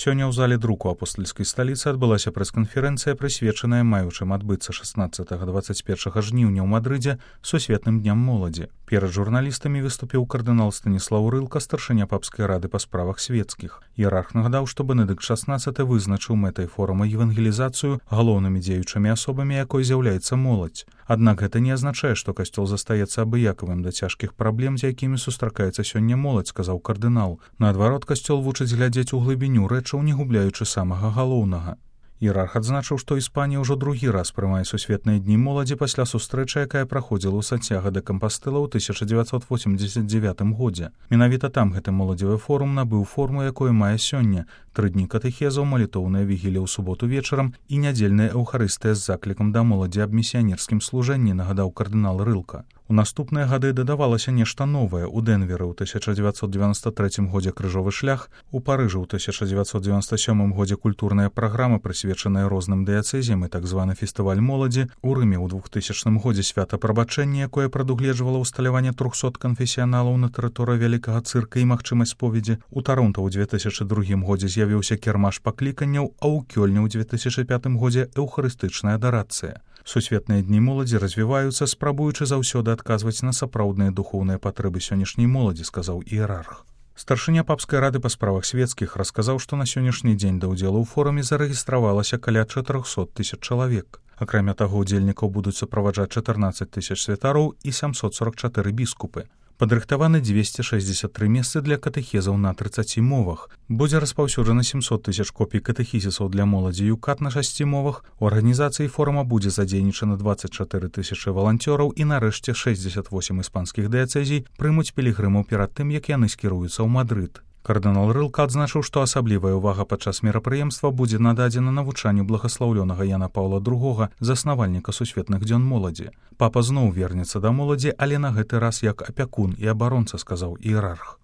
Сёння ў зале друку апостальскай сталіцы адбылася прэс-канферэнцыя, прысвечаная маючым адбыцца 16-21 жніўня ў Мадрыдзе сусветным дням моладзі. Перад журналістамі выступіў кардынал Станіслаў Рылка, старшыня папскай рады па справах свецкіх. Іерарх нагадаў, што Бенедыкт XVI вызначыў мэтай форума евангелізацыю, галоўнымі дзеючымі асобамі якой з'яўляецца моладзь. Аднак гэта не азначае, што касцёл застаецца абыякавым да цяжкіх праблем, з якімі сустракаецца сёння моладзь, сказаў кардынал. Наадварот, касцёл вучыць глядзець у глыбіню рэчаў, не губляючы самага галоўнага. Іерарх адзначыў, што Іспанія ўжо другі раз прымае сусветныя дні моладзі пасля сустрэчы, якая праходзіла ў Сантьяго де Кампастэла ў 1989 годзе. Менавіта там гэты моладзевы форум набыў форму, якую мае сёння: 3 дні катэхезаў, малітоўная вігілія ў суботу вечарам і нядзельная эўхарыстыя з заклікам да моладзі аб місіянерскім служэнні, нагадаў кардынал Рылка. У наступныя гады дадавалася нешта новае. У Дэнверы ў 1993 годзе крыжовы шлях, у Парыжы ў 1997 годзе культурная праграма, прысвечаная розным дыяцэзіям, і так званы фестываль моладзі, у Рыме ў 2000 годзе свята прабачэння, якое прадугледжвала ўсталяванне 300 канфесіяналаў на тэрыторыі вялікага цырка і магчымасць споведзі. У Таронта ў 2002 годзе з'явіўся кірмаш пакліканняў, а ў Кёльне ў 2005 годзе эўхарыстычная адарацыя. Сусветныя дні моладзі развіваюцца, спрабуючы заўсёды адказваць на сапраўдныя духоўныя патрэбы сённяшняй моладзі, сказаў іерарх. Старшыня папскай рады па справах свецкіх расказаў, што на сённяшні дзень да ўдзелу ў форуме зарэгістравалася каля 400 000 чалавек. Акрамя таго, удзельнікаў будуць суправаджаць 14 000 святароў і 744 біскупы. Падрыхтаваны 263 месцы для катэхезаў на 30 мовах. Будзе распаўсюджана 700 000 копій катэхізісаў для моладзі ЮКАТ на 6 мовах. У арганізацыі форума будзе задзейнічана 24 000 валанцёраў і нарэшце 68 іспанскіх дыяцэзій прымуць пілігрымаў перад тым, як яны скіруюцца ў Мадрыд. Кардынал Рылка адзначыў, што асаблівая ўвага падчас мерапрыемства будзе нададзена навучанню благаслаўлёнага Яна Паўла II, заснавальніка сусветных дзён моладзі. Папа зноў вернецца да моладзі, але на гэты раз як апякун і абаронца, сказаў іерарх.